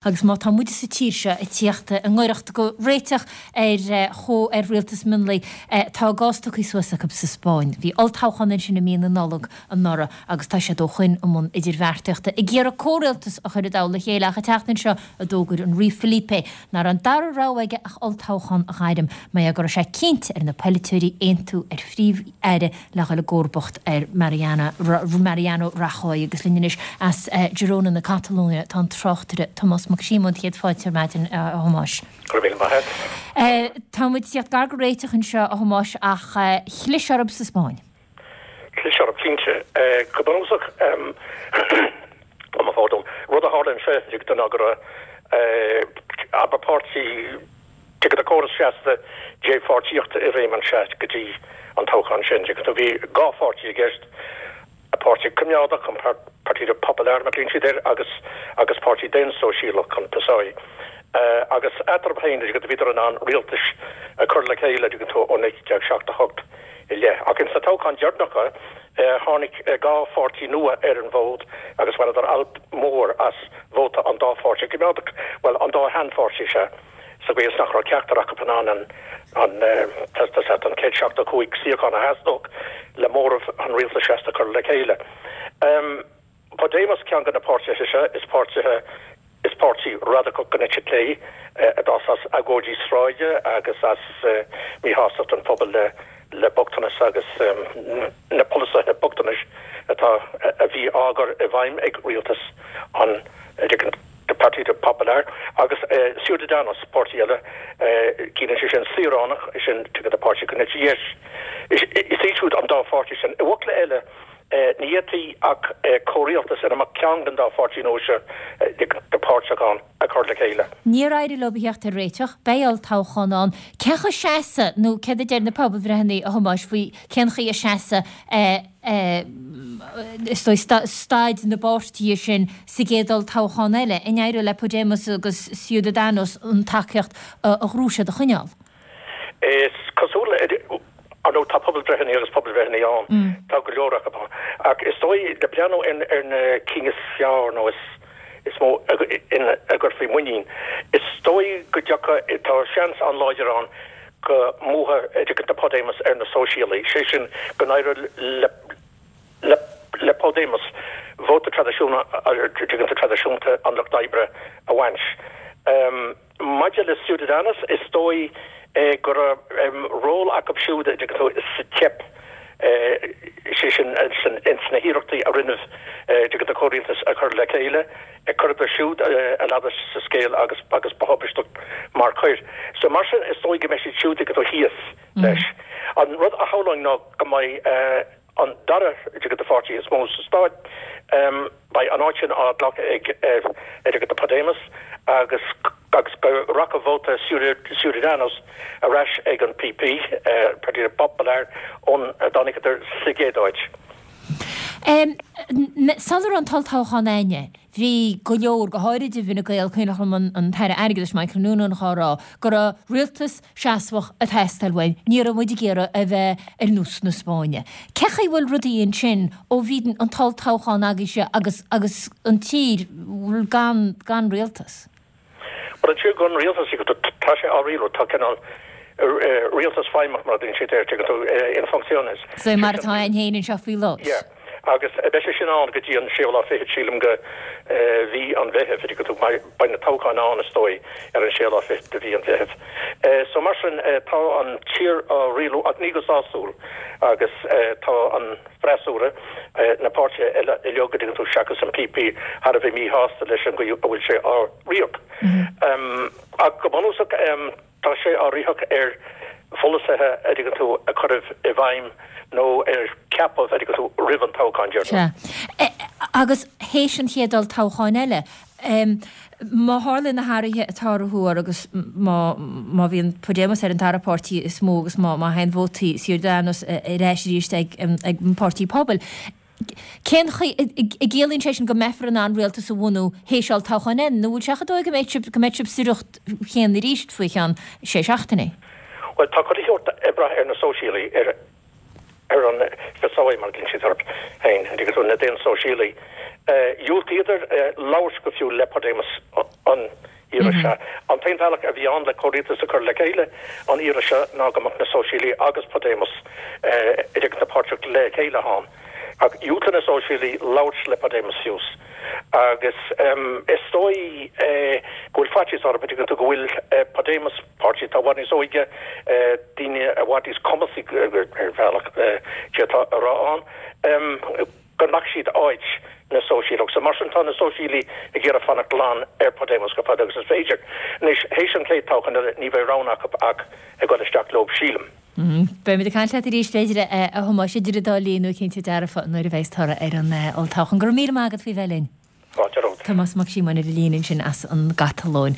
Agus má tá muide sa tír seo ag tíocht i ngaireacht go réiteach ar chomh ar rialtas mionlaigh, tá a gcás tugtha suas acu sa Spáinn. Bhí olltoghchán ansin i mí na Nollag anuraidh agus tá siad ó shoin i mbun idirbheartaíochta ag iarraidh comhrialtas a chur i dtoll a chéile ach an tseachtain seo a d'fhógair an Rí Felipe nach raibh an dara rogha aige ach olltoghchán a ghairm mar go raibh sé cinnte ar na polaiteoirí aontú ar phríomh-aire le dhul i gcomharbacht ar Mariano Rajoy agus linn anois as Girona na Catalóine tá an tráchtaire Tomás Mac Síomóin. Céad fáilte ar maidin, a Thomáis. Go raibh míle maith agat. Tá muid ag tíocht gar go réiteach anseo, a Thomáis, ach chlis orthu sa Spáinn. Chlis orthu, cinnte. Go bunúsach, mo phardún, rud a tharla anseo ná go raibh, abair, páirtí, Tuigeann tú córas seasta dépháirtíochta i réim anseo go dtí an toghchán sin. Tuigeann tú, bhí 2 pháirtí i gceist, Páirtí Coimeádach, an Partido Popular mar a ghlaonn siad air, agus agus Páirtí Daonsóisialach, an PSOE. Agus eatarthu féin, tuigeann tú, bhíodar in ann rialtais a chur le chéile, tuigeann tú, ó 1978 i leith. Ach ins na toghcháin deireanacha, tháinig 2 pháirtí nua ar an bhfód agus bhaineadar alt mór as vóta an dá pháirtí coimeádach, bhuel, an dá sheanpháirtí, sea. sa gcaoi is nach raibh ceachtar acu in ann an an 175 suíochán a theastódh le móramh an rialtais seasta a chur le chéile. Podemos ceann de na páirtithe seo, is páirtithe is páirtí radacach den eite chlé a d'fhás as agóidí sráide agus as míshástacht an phobail le le bochtanas agus na polasaithe bochtanais atá a bhí á gcur i bhfeidhm ag rialtas an Partido Popular agus Ciudadanos, páirtí eile, ciallaíonn sé sin saoránach, sin tuigeann tú páirtí den eite dheis. Is iad siúd an dá pháirtí sin. I bhfocla eile, ní fhéadfaí ach comhrialtas ina mbeadh ceann den dá pháirtí nua seo páirteach ann a chur le chéile. Níor éirigh leo a theacht ar réiteach. Beidh olltoghchán ann. Cén chaoi a seasfaidh, nó céard a deir na pobalbhreitheanna, a Thomáis, faoi cén chaoi a seasfaidh, is dóigh, staid na bpáirtithe sin sa gcéad olltoghchán eile? An éireoidh le Podemos agus Ciudadanos an tacaíocht a ghnóthaigh siad a choinneáil? Is cosúil, ar ndóigh, tá pobalbhreitheanna agus pobalbhreitheanna ann, tá go leor acu ann, ach is dóigh, le breathnú ar na cinn is fearr nó is mó ina gcuirfí muinín, is dóigh go dtiocfaidh, tá seans an-láidir ann go mbuafaidh Podemos ar na Sóisialaigh, sé sin go n-éireoidh le Podemos vóta traidisiúnta an Lucht Oibre a bhaint. Maidir le Ciudadanos, is dóigh go raibh ról acu siúd sa teip, sé sin ins na hiarrachtaí a rinneadh tuigeann tú comhrialtas a chur le chéile, chuireadar siúd a ladar sa scéal agus agus ba thubaisteach mar choir. So mar sin is dóigh go mbeidh siad siúd tuigeann tú thíos leis. An rud a shamhlóinn ná go mbeidh an dara tuigeann tú pháirtí is mó sa stát, beidh an áit sin á glacadh ag tuigeann tú Podemos agus agus go rachaidh vóta Ciudadanos ar ais ag an PP, Partido Popular, ón a dtáinigeadar sa gcéad áit. Sula raibh an t-olltoghchán againne, bhí go leor, go háirid i bhFine Gael, cuimhneach liom an tAire Airgeadais Michael Noonan dhá rá go raibh rialtas seasmhach ag teastáil uainn, ní raibh muid ag iarraidh a bheith ar nós na Spáinne. Cén chaoi a bhfuil rudaí ansin ó bhí an t-olltoghchán agaibhse agus agus an tír gan gan rialtas? Bhuel, an tír gan rialtas, tá sé á rialú, tá cineál rialtas feidhmeach mar a dtugann siad air, tuigeann tú, en funciones. So mar atá againn féin anseo faoi láthair. Yeah. Agus beidh sé sin ann go dtí an séú lá fichead, sílim, de mhí an Mheithimh, tuigeann tú, beidh na toghcháin ann, is dóigh, ar an séú lá fichead de mhí an Mheithimh. So mar sin, tá an tír á rialú ach ní go sásúil agus tá an. freasúra, na páirtithe eile uilig, a dtuigeann tú, seachas an PP, thar a bheith míshásta leis an gcaoi a bhfuil sé á ritheadh. Ach go bunúsach, tá sé á ritheadh ar pholasaithe, a dtuigeann tú, a cuireadh i bhfeidhm nó ar ceapadh, a dtuigeann tú, roimh an toghchán deireanach. Sea. Agus théis an chéad olltoghcháin eile, Má tharlaíonn na hathruithe atá á thuar agus má má bhíonn Podemos ar an dara páirtí is mó agus má má théann vótaí Ciudadanos ar ais arís ag ag an Páirtí Pobail, cén chaoi an gciallaíonn sé sin go mbeifear in ann rialtas a bhunú théis olltoghcháin eile nó bhfuil sé chomh dóigh go mbeidh sibh go mbeidh sibh sa riocht chéanna arís faoi cheann sé seachtainí? Bhuel, tá chuile shórt ag brath ar na Sóisialaigh, ar. Ar an PSOE, mar a ghlaonn siad orthu féin, an dtuigeann tú, na Daonsóisialaigh, dhiúltaíodar labhairt go fiú le Podemos an iarraidh seo. An t-aon bhealach a bhí ann le comhrialtas a chur le chéile an iarraidh seo ná go mbeadh na Sóisialaigh agus Podemos an dtuigeann tú páirteach le chéile ann. Ach dhiúltaigh na Sóisialaigh labhairt le Podemos fiú. Agus is dóigh go bhfuil faitíos orthu, an dtuigeann tú, go bhfuil Podemos, páirtí atá i bhfad níos óige, daoine i bhfad níos cumasaí ar bhealach, d'fhéadfá a rá ann, go nglacfaidh siad áit na Sóisialach. So mar sin tá na Sóisialaigh ag iarraidh fanacht glan ar Podemos chomh fada agus is féidir. Anois, théis an chéad toghchán eile, ní bheidh rogha acu ach ag dul isteach leo, sílim. Beimid ag caint leat arís, b'fhéidir, a Thomáis, idir an dá linn nó cinnte dearfa nuair a bheas toradh ar an olltoghchán. Go raibh míle maith agat faoi bheith linn. Fáilte romhat. Tomás Mac Síomóin ar an líne ansin as an gCatalóin.